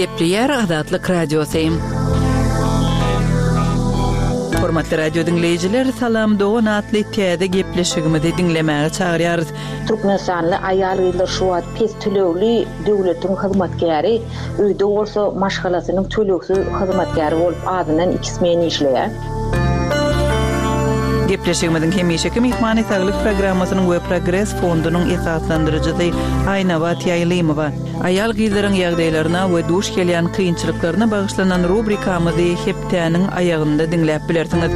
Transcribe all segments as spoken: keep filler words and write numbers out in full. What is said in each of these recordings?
Gepleýär Azatlyk Radiosy. Hormatly radio diňleýjiler, Salam dogan atly täze gepleşigimizi diňlemäge çagyrýarys. Türkmenistanly aýal-gyzlar şu wagt pes tölegli döwletiň hyzmatkäri, öýde bolsa maşgalasynyň tölegsiz hyzmatkäri bolup azyndan iki smen işleýär. Gepleşigimiziň hemişeki myhmany Saglyk programmasynyň we Progres fondunyň esaslandyryjysy Aýnabat Ýaýlymowa. Aýal-gyzlaryň ýagdaýlaryna we duş gelýän kynçylyklaryna bagyşlanan rubrikamyzy hepdäniň aýagynda diňläp bilersiňiz.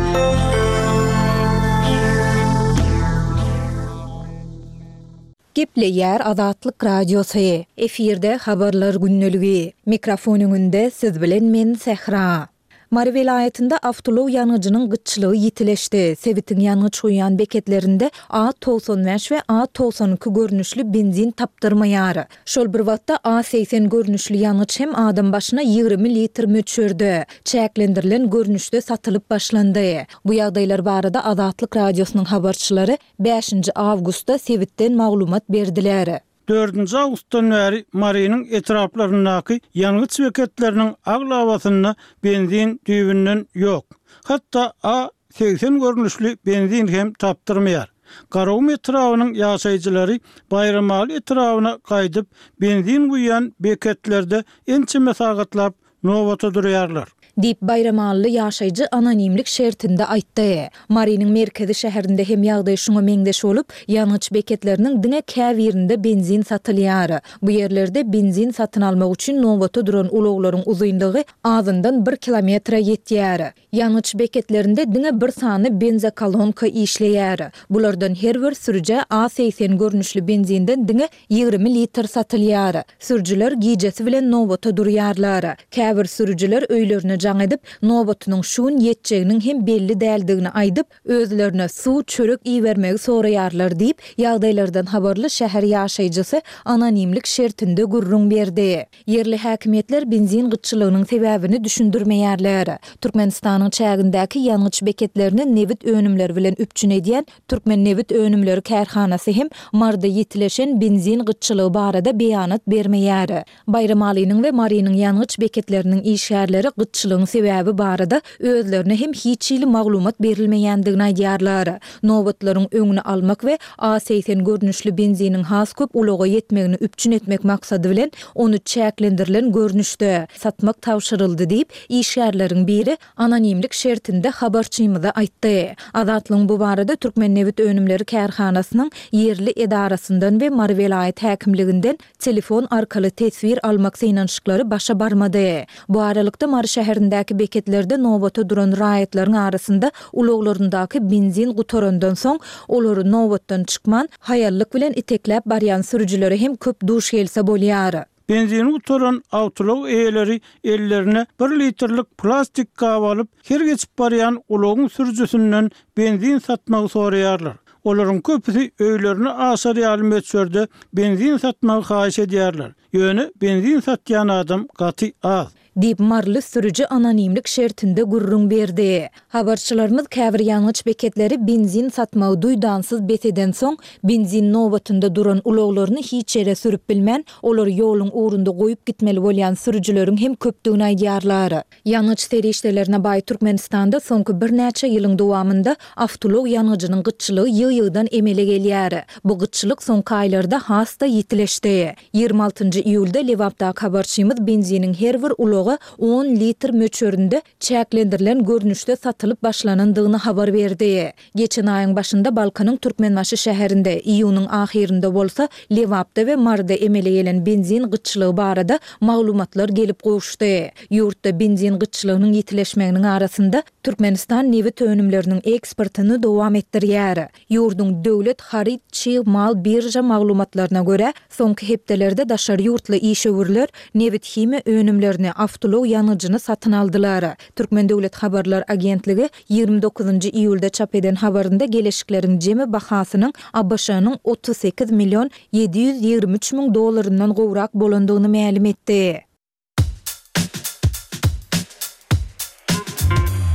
Gepleýär Azatlyk Radiosy. Efirde habarlar gündeligi. Mikrofon öňünde siz bilen men Sähra. Mary welaýatynda awtoulag ýangyjynyň gytçylygy ýitileşdi. Sebitiň ýangyç guýýan beketlerinde A togsan bäş we A togsan iki görnüşli benzin tapdyrmaýar. Şol bir wagtda A segsen görnüşli ýangyç hem adam başyna ýigrimi litr möçberde, çäklendirilen görnüşde satylyp başlandy. Bu ýagdaýlar barada Azatlyk Radiosynyň habarçylary bäşinji awgustda sebitden maglumat berdiler. Dördünji awgustdan bäri Marynyň etraplaryndaky ýangyç beketleriniň aglabasynda benzin düýbünden ýok. Hatda A segsen görnüşli benzin hem tapdyrmaýar. Garagum etrabynyň ýaşaýjylary Baýramaly etrabyna gaýdyp, benzin guýýan beketlerde ençeme sagatlap nobata durýarlar. Diýip, baýramalyly ýaşaýjy anonimlik şertinde aýtdy. Marynyň merkezi şäherinde hem ýagdaý şuňa meňzeş bolup, ýangyç beketleriniň diňe käbirinde benzin satylýar. Bu ýerlerde benzin satyn almak üçin nobata duran ulaglaryň uzynlygy azyndan bir kilometre ýetýär. Ýangyç beketlerinde diňe bir sany benzokolonka işleýär. Bulardan her bir sürüjä A segsen görnüşli benzinden diňe ýigrimi litr satylýar. Sürüjiler gijesi bilen nobata durýarlar. Käbir sürüjiler öýlerine jaň edip, nobatynyň şu gün ýetjeginiň hem belli däldigini aýdyp, özlerine suw, çörek ibermegi soraýarlar diýip, ýagdaýlardan habarly şäher ýaşaýjysy anonimlik şertinde gürrüň berdi. Ýerli häkimiýetler benzin gytçylygynyň sebäbini düşündirmeýärler. Türkmenistanyň çägindäki ýangyç beketlerini nebit önümleri bilen üpjün edýän Türkmennebitönümleri kärhanasy hem Maryda ýitileşen benzin gytçylygy barada beýanat bermeýär. Baýramalynyň we Marynyň ýangyç beketleriniň işgärleri gytçylygyň sebäbi barada özlerine hem hiç hili maglumat berilmeýändigini aýdýarlar. Nobatlaryň öňüni almak we A segsen görnüşli benziniň has köp ulaga ýetmegini üpjün etmek maksady bilen, ony çäklendirilen görnüşde satmak tabşyryldy diýip, işgärleriň biri anonimlik şertinde habarçymyza aýtdy. Azatlygyň bu barada Türkmennebitönümleri kärhanasynyň ýerli edarasyndan we Mary welaýat häkimliginden telefon arkaly teswir almak synanyşyklary başa barmady. Bu aralykda, Mary şäherindäki beketlerde nobata duran raýatlaryň arasynda ulaglaryndaky benzin gutarandan soň, olary nobatdan çykman, haýallyk bilen itekläp barýan sürüjilere hem köp duş gelse bolýar. Benzini gutaran awtoulag eýeleri ellerine bir litrlik plastik gap alyp, her geçip barýan ulagyň sürüjisinden benzin satmagy soraýarlar. Olaryň köpüsi öýlerine aşar ýaly möçberde benzin satmagy haýyş edýärler. Ýöne benzin satýan adam gaty az. Diýip, maryly sürüji anonimlik şertinde gürrüň berdi. Habarçylarymyz käbir ýangyç beketleri benzin satmagy duýdansyz bes edensoň, benzin nobatynda duran ulaglaryny hiç ýere sürüp bilmän, olary ýoluň ugrunda goýup gitmeli bolýan sürüjileriň hem köpdügini aýdýarlar. Ýangyç serişdelerine baý Türkmenistanda soňky birnäçe ýylyň dowamynda awtoulag ýangyjynyň gytçylygy ýygy-ýygydan emele gelýär. Bu gytçylyk soňky aýlarda has-da ýitileşdi. Ýigrimi altynjy iýulda Lebapdaky habarçymyz benziniň her bir ulaga on litr möçberinde çäklendirilen görnüşde satylyp başlanandygyny habar berdi. Geçen aýyň başynda Balkanyň Türkmenbaşy şäherinde, iýunyň ahyrynda bolsa Lebapda we Maryda emele gelen benzin gytçylygy barada maglumatlar gelip gowuşdy. Ýurtda benzin gytçylygynyň ýitileşmeginiň arasynda, Türkmenistan nebit önümleriniň eksportyny dowam etdirýär. Ýurduň döwlet haryt çig mal birža maglumatlaryna görä, soňky hepdelerde daşary ýurtly işewürler nebit-himiýa önümlerini, awtoulag ýangyjyny satyn aldylar. Türkmen döwlet habarlar agentligi ýigrimi dokuzynjy iýulda çap eden habarynda geleşikleriň jemi bahasynyň ABŞ-nyň otuz sekiz million ýedi ýüz ýigrimi üç müň dollaryndan gowrak bolandygyny mälim etdi.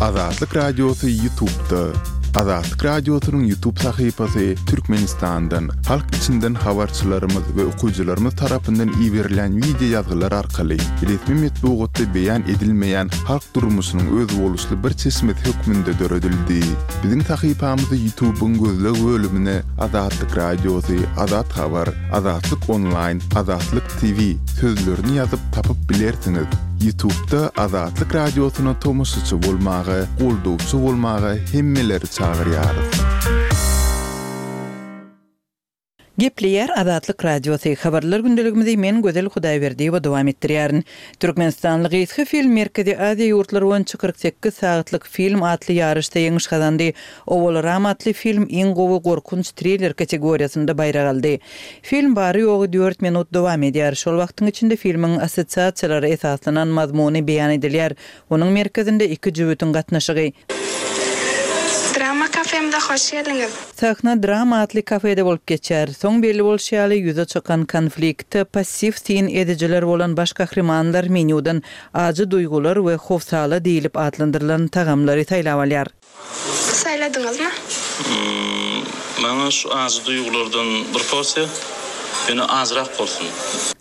Azatlyk Radiosy YouTube'da. Azatlyk Radiosynyň YouTube sahypasy Türkmenistandan, halk içinden habarçylarymyz we okyjylarymyz tarapyndan iberilen wideo ýazgylar arkaly resmi metbugatda beýan edilmeýän halk durmuşynyň özboluşly bir çeşmesi hökmünde döredildi. Biziň sahypamyzy YouTube-yň gözleg bölümine Azatlyk Radiosy, Azat Habar, Azatlyk Onlaýn, Azatlyk T V sözlerini ýazyp tapyp bilersiňiz. YouTube-da Azatlyk Radiosyna tomaşaçy bolmaga, goldawçy bolmaga hemmeleri çagyrýarys. Gepleýär Azatlyk Radiosy. Habarlar gündeligimizi men Gözel Hudaýberdiýewa dowam etdirýärin. Türkmenistanly gysga film Merkezi Aziýa ýurtlary boýunça kyrk sekiz sagatlyk film atly ýaryşda ýeňiş gazandy. Owal Ram atly film iň gowy gorkunç triller kategoriýasynda baýrak aldy. Film bary ýogy dört minut dowam edýär. Şol wagtyň içinde filmiň assosiasiýalary esaslanan mazmuny beýan edilýär. Onuň merkezinde iki jübütiň gatnaşygy. Drama kafemde hoş geldiňiz. Sahna drama atly kafede bolup geçer. Soň belli bolşy ýaly ýüze çykan konfliktde passiw sin edijiler bolan baş gahrymanlar menýudan ajy duýgular we howsala diýilip atlandyrylan tagamlary saýlap alýar. Saýladyňyzmy? Hmm, maňa şu ajy duýgulardan bir porsiýa, ýöne azrak bolsun.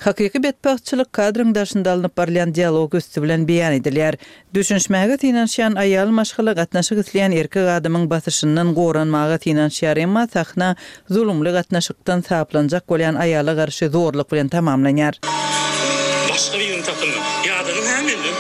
Hakyky betbagtçylyk kadryň daşynda alnyp barylýan dialog üsti bilen beýan edilýär. Düşünişmäge synanyşýan aýal maşgala gatnaşyk isleýän erkek adamyň basyşyndan goranmaga synanyşýar, emma sahna zulumly gatnaşykdan saplanjak bolýan aýala garşy zorluk bilen tamamlanýar. Başga birini tapyň. Ýadynyň hem menden.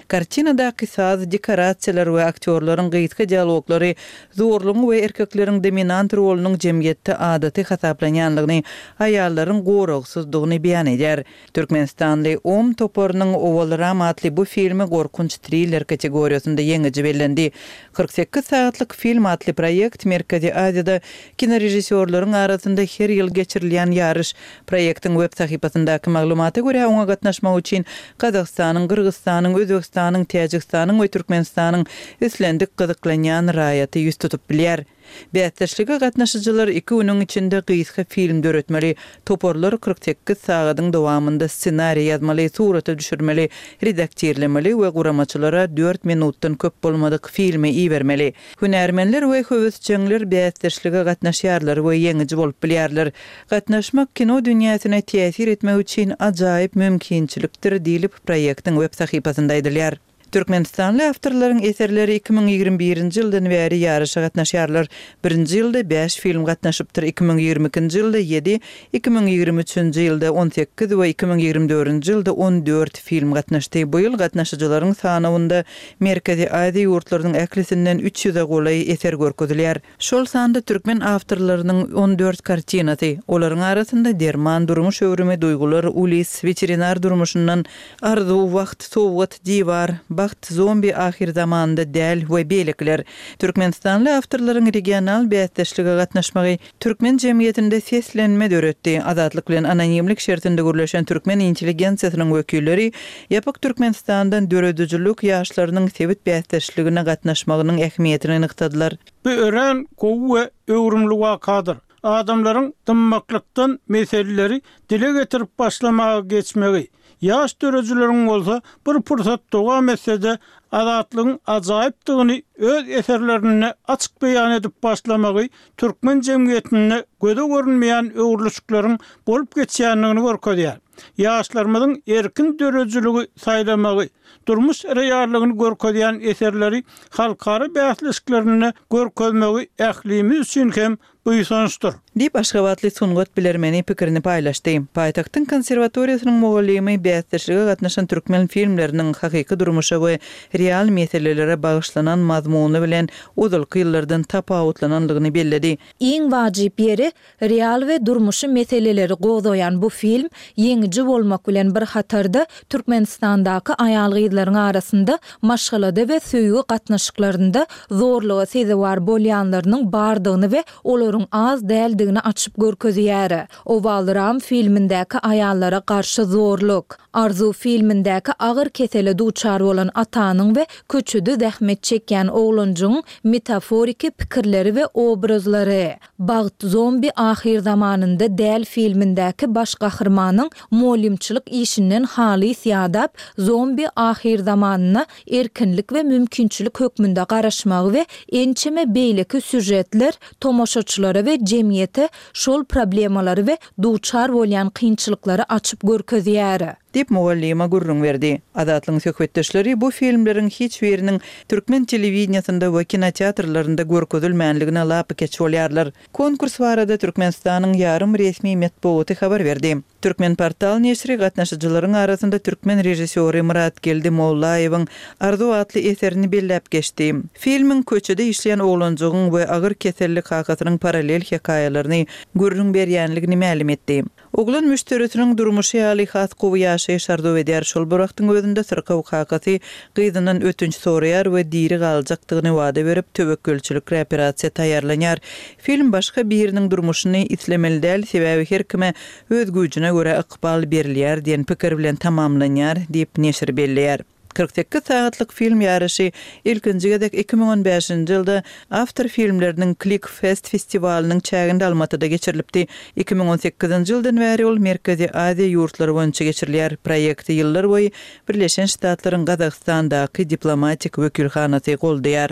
Kartinadaky saz, dekorasiýalar we aktýorlaryň gysga dialoglary zorlugyň we erkekleriň dominant rolunyň jemgyýetde adaty hasaplanýanlygyny, aýallaryň goragsyzdygyny beýan edýär. Türkmenistanly Om toparynyň Owal Ram atly bu filmi gorkunç triller kategoriýasynda ýeňiji bellendi. Kyrk sekiz sagatlyk film atly proýekt Merkezi Aziýada kinorežissýorlaryň arasynda her ýyl geçirilýän ýaryş. Proýektiň web sahypasyndaky maglumata görä oňa gatnaşmak üçin Gazagystanyň, Gyrgyzystanyň, Özbegistanyň, Täjigistanyň we Türkmenistanyň islendik gyzyklanýan raýaty ýüz tutup bilýär. Bäsdeşlige gatnaşyjylar iki günüň içinde gysga film döretmeli, toparlar kyrk sekiz sagadyň dowamynda ssenariý ýazmaly, surata düşürmeli, redaktirlemeli we guramaçylara dört minutdan köp bolmadyk filmi ibermeli. Hünärmenler we höwesjeňler bäsdeşlige gatnaşýarlar we ýeňiji bolup bilýärler. Gatnaşmak kino dünýäsine täsir etmek üçin ajaýyp mümkinçilikdir diýlip proýektiň web sahypasynda aýdylýar. Türkmenistanly awtorlaryň eserleri iki müň ýigrimi birinji ýyldan bäri ýaryşa gatnaşýarlar. Birinji ýylda bäş film gatnaşypdyr, iki müň ýigrimi ikinji ýylda ýedi, iki müň ýigrimi üçünji ýylda on sekiz we iki müň ýigrimi dördünji ýylda on dört film gatnaşdy. Bu ýyl gatnaşyjylaryň sanawynda Merkezi Aziýa ýurtlarynyň ählisinden üç ýüze golaý eser görkezilýär. Şol sanda türkmen awtorlarynyň on dört kartinasy, olaryň arasynda derman, durmuş öwrümi, duýgular, ulis, weterinar durmuşyndan arzuw, wagt, sowgat, diwar, bagt, zombi ahir zamanda däl we beýlekiler. Türkmenistanly awtorlaryň regional bäsdeşlige gatnaşmagy türkmen jemgyýetinde seslenme döretdi. Azatlyk bilen anonimlik şertinde gürleşen türkmen intelligensiýasynyň wekilleri ýapyk Türkmenistandan döredijilik ýaşlarynyň sebit bäsdeşligine gatnaşmagynyň ähmiýetini nygtadylar. Bu ören gowy we öwrümli wakadyr. Adamlaryň dymmaklykdan meseleleri dile getirip başlamaga geçmegi, ýaş döredijileriň bolsa bir pursat dowam etse-de azatlygyň ajaýypdygyny öz eserlerinde açyk beýan edip başlamagy türkmen jemgyýetinde göze görünmeýän öwrülişikleriň bolup geçýändigini görkezýär. Ýaşlarymyzyň erkin döredijiligi saýlamagy, durmuş reallygyny görkezýän eserleri halkara bäsleşiklerinde görkezmegi ählimiz üçin hem buýsançdyr. Diýip Aşgabatly sungat bilermeni pikirini paýlaşdy. Paýtagtyň konserwatoriýasynyň mugallymy bäsdeşlige gatnaşan türkmen filmleriniň hakyky durmuşa we real meselelere bagyşlanan mazmuny bilen ozalky ýyllardan tapawutlananlygyny belledi. Iň wajyp ýeri real we durmuşy meseleleri gozgaýan bu film ýeňiji bolmak bilen bir hatarda Türkmenistandaky aýal-gyzlaryň arasynda maşgalada we söýgi gatnaşyklarynda zorluga sezewar bolýanlarynyň bardygyny we olaryň olaryň az däldigini açyp görkezýär. Owal Ram filmindäki aýallara garşy zorluk, Arzuw filmindäki agyr kesele duçar bolan atanyň we köçede zähmet çekýän oglanjygyň metaforiki pikirleri we obrazlary, Bagt zombi ahyrzamanynda däl filmindäki baş gahrymanyň mugallymçylyk işinden halys ýadap, zombi ahyrzamanyna erkinlik we mümkinçilik hökmünde garaşmagy we ençeme beýleki sýužetler tomaşaçylara we jemgyýete şol problemalary we duçar bolýan kynçylyklary açyp görkezýär. Diýip, mugallyma gürrüň berdi. Azatlygyň söhbetdeşleri bu filmleriň hiç biriniň türkmen telewideniýesinde we kinoteatrlarynda görkezilmänligine lapykeç bolýarlar. Konkurs barada Türkmenistanyň ýarym resmi metbugaty habar berdi. Türkmenportal neşiri gatnaşyjylaryň arasynda türkmen režissýory Myratgeldi Mollaýewiň Arzuw atly eserini belläp geçdi. Filmiň köçede işleýän oglanjygyň we agyr keselli kakasynyň parallel hekaýalaryny gürrüň berýänligini mälim etdi. Oglan müşderisiniň durmuşy ýaly has gowy ýaşaýyş arzuw edýär, şol bir wagtyň özünde syrkaw kakasy gyzyndan ötünç soraýar we diri galjakdygyny wada berip, töwekgelçilikli operasiýa taýýarlanýar. Film başga biriniň durmuşyny islemeli däl, sebäbi her kime öz güýjüne görä ykbal berilýär diýen pikir bilen tamamlanýar diýip, neşir belleýär. Kyrk sekiz sagatlyk film ýaryşy ilkinji gezek iki müň on bäşinji ýylda awtor filmleriniň Click Fest festiwalynyň çäginde Almatyda geçirilipdi. Iki müň on sekizinji ýyldan bäri ol Merkezi Aziýa ýurtlary boýunça geçirilýär. Proýekti ýyllar boýy Birleşen Ştatlaryň Gazagystandaky diplomatik wekilhanasy goldaýar.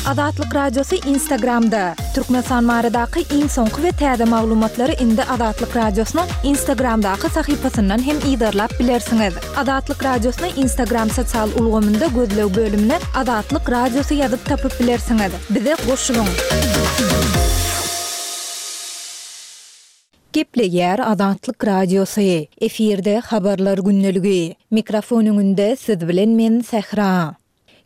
Azatlyk Radiosy Instagramda, Türkmenistan baradaky iň soňky we täze maglumatlary indi Azatlyk Radiosynyň Instagramdaky sahypasyndan hem yzarlap bilersiňiz. Azatlyk Radiosyny Instagram sosial ulgamynda gözleg bölümine Azatlyk Radiosy ýazyp tapyp bilersiňiz. Bize goşulyň! Gepleýär Azatlyk Radiosy, efirde Habarlar gündeligi. Mikrofon öňünde siz bilen men Sähra.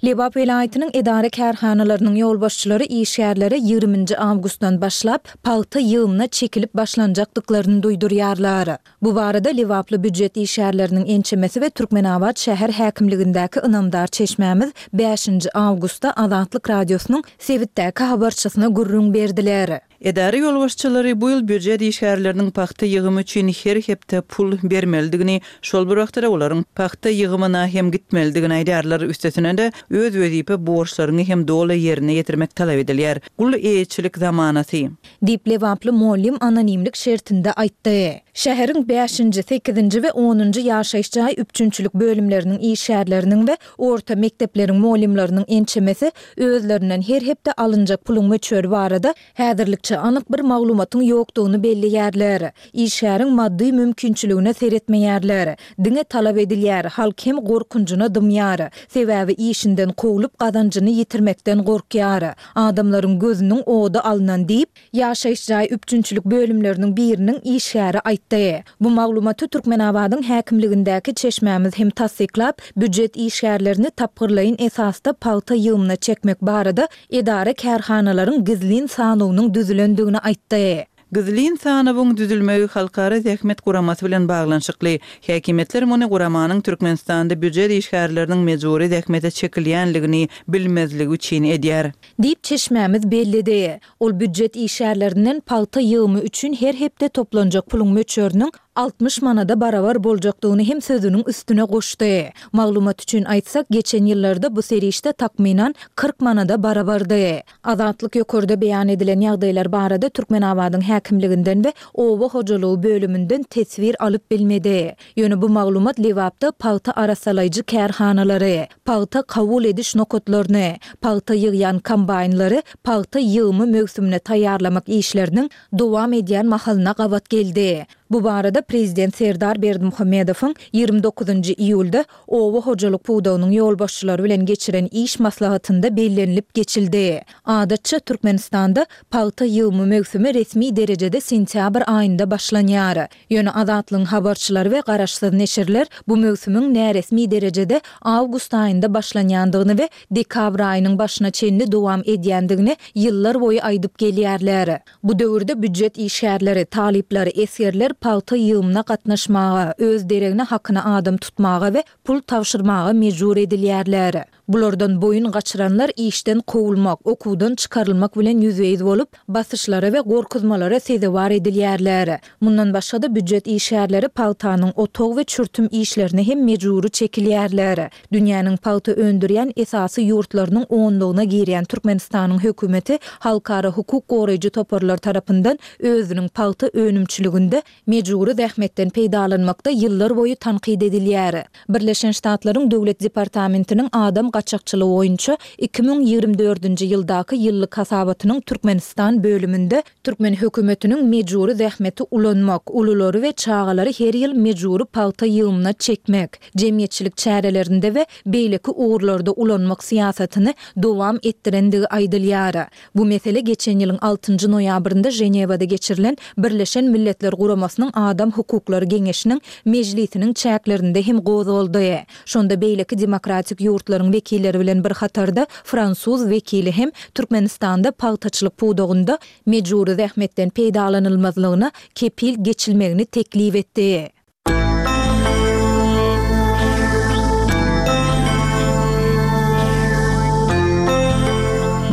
Lebap welaýatynyň edara-kärhanalarynyň ýolbaşçylary işgärlere ýigriminji awgustdan başlap, pagta ýygymyna çekilip başlanjakdyklaryny duýdurýarlar. Bu barada lebaply býujet işgärleriniň ençemesi we Türkmenabat şäher häkimligindäki ynamdar çeşmämiz bäşinji awgustda Azatlyk Radiosynyň sebitdäki habarçysyna gürrüň berdiler. Edara ýolbaşçylary bu ýyl býujet işgärleriniň pagta ýygymy üçin her hepde pul bermelidigini, şol bir wagtda-da olaryň pagta ýygymyna hem gitmelidigini aýdýarlar. Üstesine-de, öz wezipe borçlaryňy hem doly ýerine ýetirmek talap edilýär. Gul eýeçilik zamanasy. Diýip, lebaply mugallym anonimlik şertinde aýtdy. Şäheriň bäşinji, sekizinji we onunjy ýaşaýyş jaý üpjünçilik bölümleriniň işgärleriniň we orta mekdepleriň mugallymlarynyň ençemesi özlerinden her hepde alynjak puluň möçberi barada häzirlikçe anyk bir maglumatyň ýokdugyny belleýärler. Işgäriň maddy mümkinçiligine seretmeýärler. Diňe talap edilýär, halk hem gorkunjyna dymýar. Sebäbi işinden kowlup gazanjyny ýitirmekden gorkýar. Adamlaryň gözüniň ody alnan diýip, ýaşaýyş jaý üpjünçilik bölümleriniň biriniň işgäri aýtdy. Bu maglumaty Türkmenabadyň häkimligindäki çeşmämiz hem tassyklap, býujet işgärlerini tapgyrlaýyn esasda pagta ýygymyna çekmek barada edara-kärhanalaryň gizlin sanawynyň düzülendigini aýtdy. Gizlin sanawyň düzülmegi Halkara zähmet guramasy bilen baglanyşykly. Häkimiýetler muny guramanyň Türkmenistanda býujet işgärleriniň mejbury zähmete çekilýänligini bilmezligi üçin edýär. Diýip, çeşmämiz belledi. Ol býujet işgärlerinden pagta ýygymy üçin her hepde toplanjak puluň möçberiniň altmyş manada barabar boljakdygyny hem sözüniň üstüne goşdy. Maglumat üçin aýtsak, geçen ýyllarda bu serişde takmynan kyrk manada barabardy. Azatlyk ýokarda beýan edilen ýagdaýlar barada Türkmenabadyň häkimliginden we oba hojalygy bölüminden teswir alyp bilmedi. Ýöne bu maglumat Lebapda pagta arassalaýjy kärhanalary, pagta kabul ediş nokatlaryny, pagta ýygýan kombaýnlary pagta ýygymy möwsümine taýýarlamak işleriniň dowam edýän mahalyna gabat geldi. Bu barada Prezident Serdar Berdimuhamedowyň ýigrimi dokuzynjy iýulda oba hojalyk pudagynyň ýolbaşçylary bilen geçiren iş maslahatynda bellenilip geçildi. Adatça, Türkmenistanda pagta ýygymy möwsümi resmi derejede sentýabr aýynda başlanýar. Ýöne Azatlygyň habarçylary we garaşsyz neşirler bu möwsümiň näresmi derejede awgust aýynda başlanýandygyny we dekabr aýynyň başyna çenli dowam edýändigini ýyllar boýy aýdyp gelýärler. Bu döwürde býujet işgärleri, talyplar, esgerler pagta ýygymyna gatnaşmaga, öz deregine hakyna adam tutmaga we pul tabşyrmaga mejbur edilýärler. Bulardan boýun gaçyranlar işden kowulmak, okuwdan çykarylmak bilen ýüzbe-ýüz bolup, basyşlara we gorkuzmalara sezewar edilýärler. Mundan başga-da býujet işgärleri pagtanyň otag we çürtüm işlerine hem mejbury çekilýärler. Dünýäniň pagta öndürýän esasy ýurtlarynyň onlugyna girýän Türkmenistanyň hökümeti halkara hukuk goraýjy toparlar tarapyndan özüniň pagta önümçiliginde mejbury zähmetden peýdalanmakda ýyllar boýy tankyt edilýär. Birleşen Ştatlaryň Döwlet departamentiniň adam gaçakçylygy boýunça iki müň ýigrimi dördünji ýyldaky ýyllyk hasabatynyň Türkmenistan bölüminde türkmen hökümetiniň mejbury zähmeti ulanmak, ululary we çagalary her ýyl mejbury pagta ýygymyna çekmek, jemgyýetçilik çärelerinde we beýleki ugurlarda ulanmak syýasatyny dowam etdirendigi aýdylýar. Bu mesele geçen ýylyň altynjy noýabrynda Ženewada geçirilen Birleşen Milletler Guramasynyň Adam hukuklary geňeşiniň mejlisiniň çäklerinde hem gozgaldy. Şonda beýleki demokratik ýurtlaryň wekilleri bilen bir hatarda fransuz wekili hem Türkmenistanda pagtaçylyk pudagynda mejbury zähmetden peýdalanylmazlygyna kepil geçilmegini teklip etdi.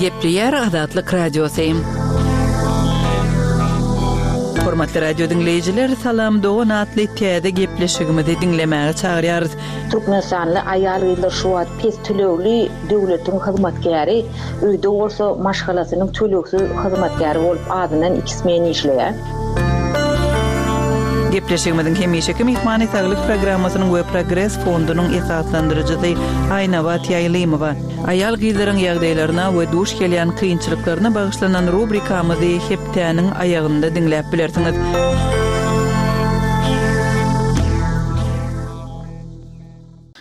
Gepleýär Azatlyk Radiosy. Hormatly radio diňleýjiler, Salam dogan atly täze gepleşigimizi diňlemäge çagyrýarys. Türkmenistanly aýal-gyzlar şu wagt pes tölegli döwletiň hyzmatkäri, öýde bolsa maşgalasynyň tölegsiz hyzmatkäri bolup azyndan iki smen işleýär. Gepleşigimiziň hemişeki myhmany Saglyk programmasynyň we Progres fondunyň esaslandyryjysy Aýnabat Ýaýlymowa. Aýal-gyzlaryň ýagdaýlaryna we duş gelýän kynçylyklaryna bagyşlanan rubrikamyzy hepdäniň aýagynda diňläp bilersiňiz.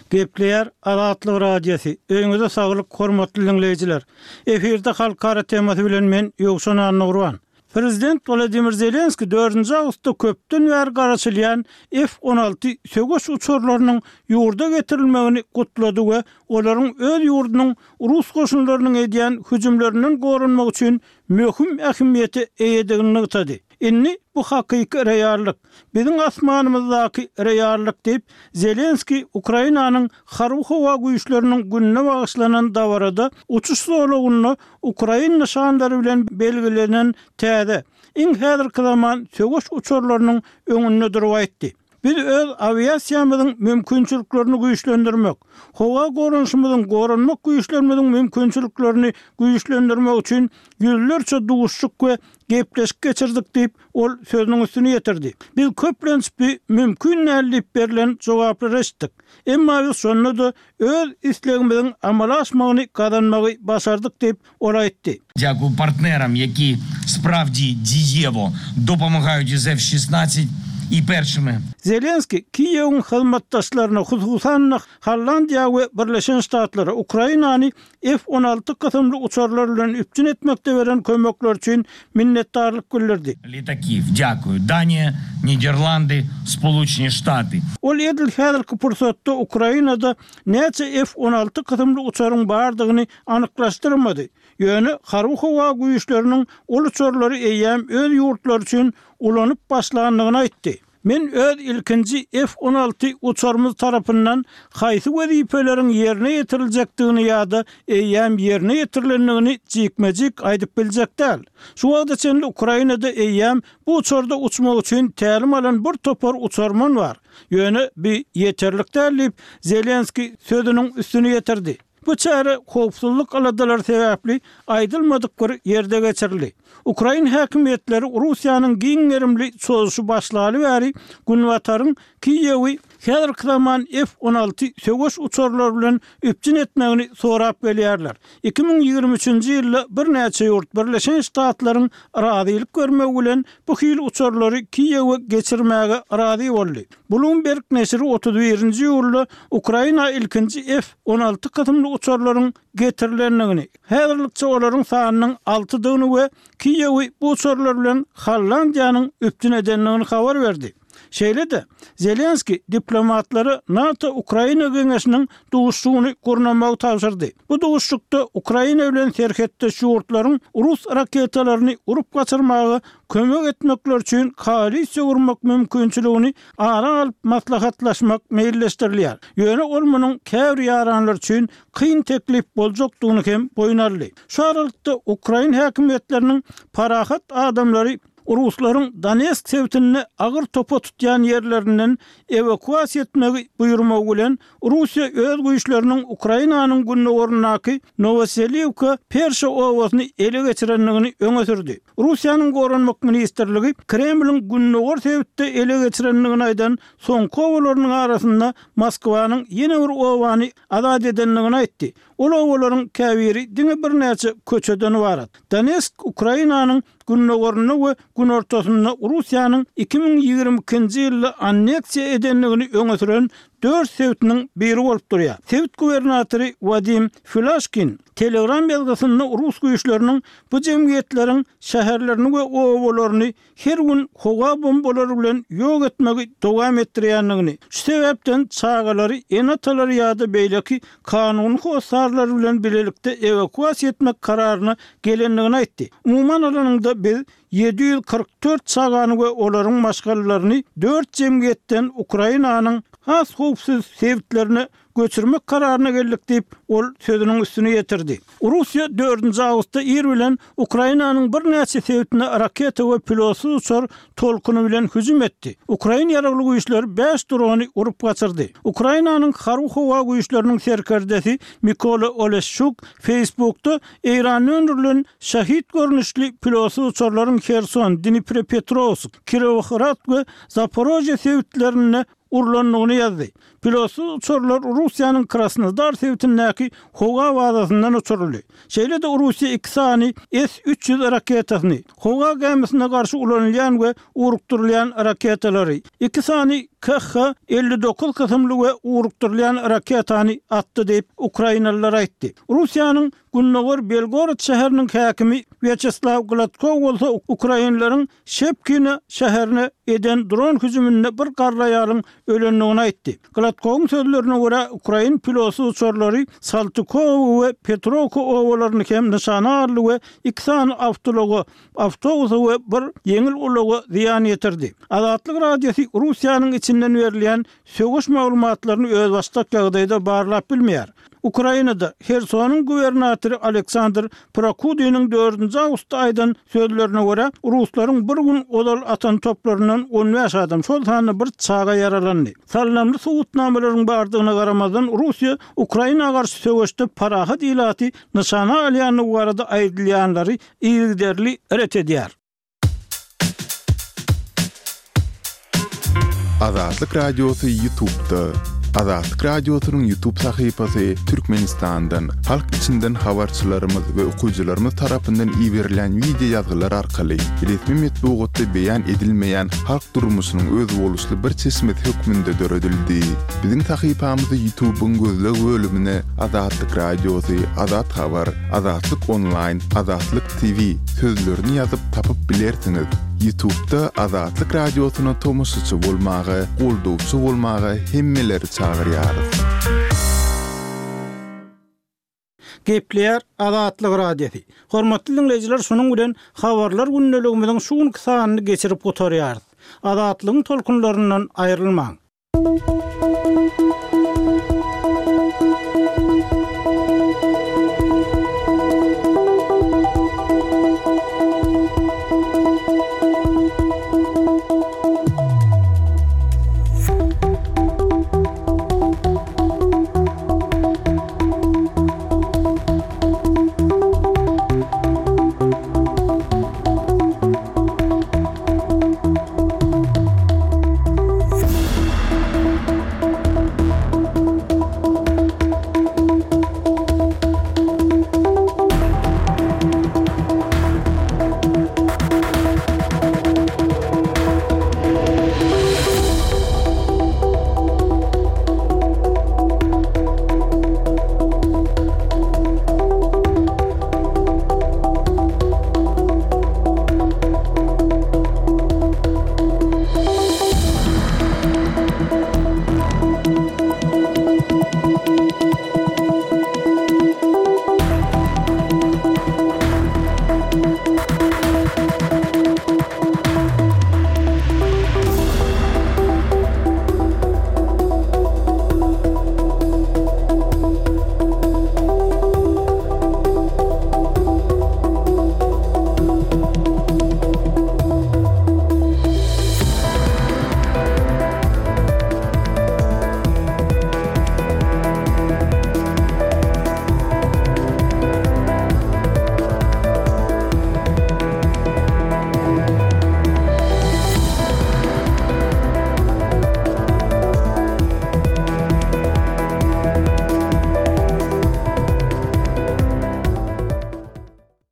Gepleýär Azatlyk Radiosy. Öýüňize saglyk, hormatly diňleýjiler. Efirde halkara temasy bilen men Ýowşan Annagurban. Prezident Wladimir Zelenskiý dördünji awgustda köpden bäri garaşylýan F on alty söweş uçarlarynyň ýurda getirilmegini gutlady we olaryň öz ýurdunyň rus goşunlarynyň edýän hüjümlerinden goranmak üçin möhüm ähmiýete eýedigini nygtady. Indi bu hakyky reallyk, biziň asmanymyzdaky reallyk diýip, Zelenskiý Ukrainanyň harby-howa güýçleriniň gününe bagyşlanan dabarada uçuş zolagynda ukrain nyşanlary bilen belgilenen täze, iň häzirki zaman söweş uçarlarynyň öňünde durup aýtdy. Biz öz awiasiýamyzyň mümkinçiliklerini güýçlendirmek, howa goranyşymyzyň goranmak güýçlerimiziň mümkinçiliklerini güýçlendirmek üçin ýüzlerçe duşuşyk we gepleşik geçirdik diýip, ol sözüniň üstüni ýetirdi. Biz köplenç bu mümkin däl diýip berlen jogaplary eşitdik. Emma biz şonda-da öz islegimiziň amala aşmagyny gazanmagy başardyk diýip, ol aýtdy. Дякую партнерам, які справді дієво допомагають із F шестнадцать и першими. Zelenskiý Kiýewiň hyzmatdaşlaryna, hususan-da Hollandiýa we Birleşen Ştatlara Ukrainany F on alty kysymly uçarlar bilen üpjün etmekde beren kömekler üçin minnetdarlyk bildirdi. Litakiw, дякую. Daniýa, Niderlandy, Spoluçni Ştaty. Ol edil häzirki pursatda Ukrainada näçe F on alty kysymly uçaryň bardygyny anyklaşdyrmady. Ýöne harby howa güýçleriniň ol uçarlary eýýäm öz ýurtlary üçin ulanyp başlandygyny aýtdy. Men öz ilkinji F on alty uçarymyz tarapyndan haýsy wezipeleriň ýerine ýetiriljekdigini ýa-da eýýäm ýerine ýetirilendigini jikme-jik aýdyp biljek däl. Şu wagta çenli Ukrainada eýýäm bu uçarda uçmak üçin tälim alan bir topar uçarman bar. Ýöne bi ýeterlik däl diýip Zelenskiý sözüniň üstüni ýetirdi. Bu çäre howpsuzlyk aladalary sebäpli aýdylmadyk bir ýerde geçirildi. Ukrain häkimiýetleri Russiýanyň giň gerimli çozuşy başlaly bäri Günbataryň Kiýewi häzirki zaman F on alty söweş uçarlary bilen üpjün etmegini sorap gelýärler. Iki müň ýigrimi üçünji ýylda birnäçe ýurt Birleşen Ştatlaryň razylyk görmegi bilen bu hil uçarlary Kiýewe geçirmäge razy boldy. Bloomberg neşiri otuz birinji ýylda Ukraina ilkinji F on alty kysymly uçarlaryň getirilendigini, häzirlikçe olaryň sanynyň altydygyny we Kiýewi bu uçarlar bilen Hollandiýanyň üpjün edendigini habar berdi. Şeýle-de, Zelenskiý diplomatlara NATO-Ukraina geňeşiniň duşuşygyny gurnamagy tabşyrdy. Bu duşuşykda Ukraina bilen serhetdeş ýurtlaryň rus raketalaryny urup gaçyrmaga kömek etmekleri üçin koalisiýa gurmak mümkinçiligini ara alyp maslahatlaşmak meýilleşdirilýär. Ýöne ol munuň käbir ýaranlar üçin kyn teklip boljakdygyny hem boýun aldy. Şu aralykda ukrain häkimiýetleriniň parahat adamlary ruslaryň Donetsk sebitinde agyr topa tutýan ýerlerinden ewakuasiýa etmegi buýurmagy bilen Russiýa öz güýçleriniň Ukrainanyň gündogaryndaky Nowoseliwka Perşa obasyny ele geçirendigini öňe sürdi. Russiýanyň Goranmak ministrligi Kremliň gündogar sebitde ele geçirendigini aýdan soňky obalarynyň arasynda Moskwanyň ýene bir obany azat edendigini aýtdy. Ol obalaryň käbiri diňe birnäçe köçeden ybarat. Donetsk Ukrainanyň gündogarynda we günortasynda Russiýanyň iki müň ýigrimi ikinji ýylda anneksiýa edendigini öňe süren dört sebitiniň biri bolup durýar. Sebit gubernatory Wadim Filaşkin Telegram ýazgysynda rus güýçleriniň bu jemgyýetleriň şäherlerini we obalaryny her gün howa bombalary bilen ýok etmegi dowam etdirýändigini, şu sebäpden çagalary ene-atalary ýa-da beýleki kanuny hossarlary bilen bilelikde ewakuasiýa etmek kararyna gelendigini aýtdy. Umuman alanyňda biz ýedi ýüz kyrk dört çagany we olaryň maşgalalaryny dört jemgyýetden Ukrainanyň has howpsuz sebitlerine göçürmek kararyna geldik diýip, ol sözüniň üstüni ýetirdi. Russiýa dördünji awgustda ir bilen Ukrainanyň birnäçe sebitine raketa we pilotsyz uçar tolkuny bilen hüjüm etdi. Ukrain ýaragly güýçleri bäş drony urup gaçyrdy. Ukrainanyň Harby-howa güýçleriniň serkerdesi Mikola Oleşçuk Facebookda Eýranda öndürilen Şahid görnüşli pilotsyz uçarlaryň Herson, Dniprepetrowsk, Kirowohrad we Zaporožýe sebitlerinde urlandygyny ýazdy. Pilotsyz uçarlar Russiýanyň Krasnodar sebitindäki howa bazasyndan uçuryldy. Şeýle-de Russiýa iki sany S üç ýüz raketasyny, howa gämisine garşy ulanylýan we ugrukdyrylýan raketalary, iki sany K H elli dokuz kysymly we ugrukdyrylýan raketany atdy diýip, ukrainalylar aýtdy. Russiýanyň Gündogar Belgorod şäheriniň häkimi Wýaçeslaw Gladkow bolsa ukrainleriň Şepkino şäherine eden dron hüjüminde bir garry aýalyň ölendigini aýtdy. Gladkowyň sözlerine görä, ukrain pilotsyz uçarlary Saltykowo we Petrowka obalaryny hem nyşana aldy we iki sany awtoulaga, awtobusa we bir ýeňil ulaga zyýan ýetirdi. Azatlyk Radiosy Russiýanyň içinden berilýän söweş maglumatlaryny özbaşdak ýagdaýda barlap bilmeýär. Ukrainada Hersonyň gubernatory Aleksandr Prokudiniň dördünji awgustda aýdan sözlerine görä, ruslaryň bir gün ozal atan toplaryndan on bäş adam, şol sanda bir çaga ýaralandy. Salnamly subutnamalaryň bardygyna garamazdan, Russiýa Ukraina garşy söweşde parahat ilaty nyşana alýandygy barada aýdylýanlary yzygiderli ret edýär. Azatlyk Radiosy YouTube'da. Azatlyk Radiosynyň YouTube sahypasy Türkmenistandan, halk içinden habarçylarymyz we okyjylarymyz tarapyndan iberilen wideo ýazgylar arkaly resmi metbugatda beýan edilmeýän halk durmuşynyň özboluşly bir çeşmesi hökmünde döredildi. Biziň sahypamyzy YouTube'yň gözleg bölümine Azatlyk Radiosy, Azat Habar, Azatlyk Online, Azatlyk T V sözlerini ýazyp tapyp bilersiňiz. YouTube'da Azatlyk Radiosyna tomaşaçy bolmaga, goldawçy bolmaga hemmeleri çagyrýarys. Gepleýär Azatlyk Radiosy. Hormatly dinleýjiler, şunuň bilen habarlar gündeligimiziň şu günki sanyny geçirip gutarýarys. Azatlygyň tolkunlaryndan aýrylmaň.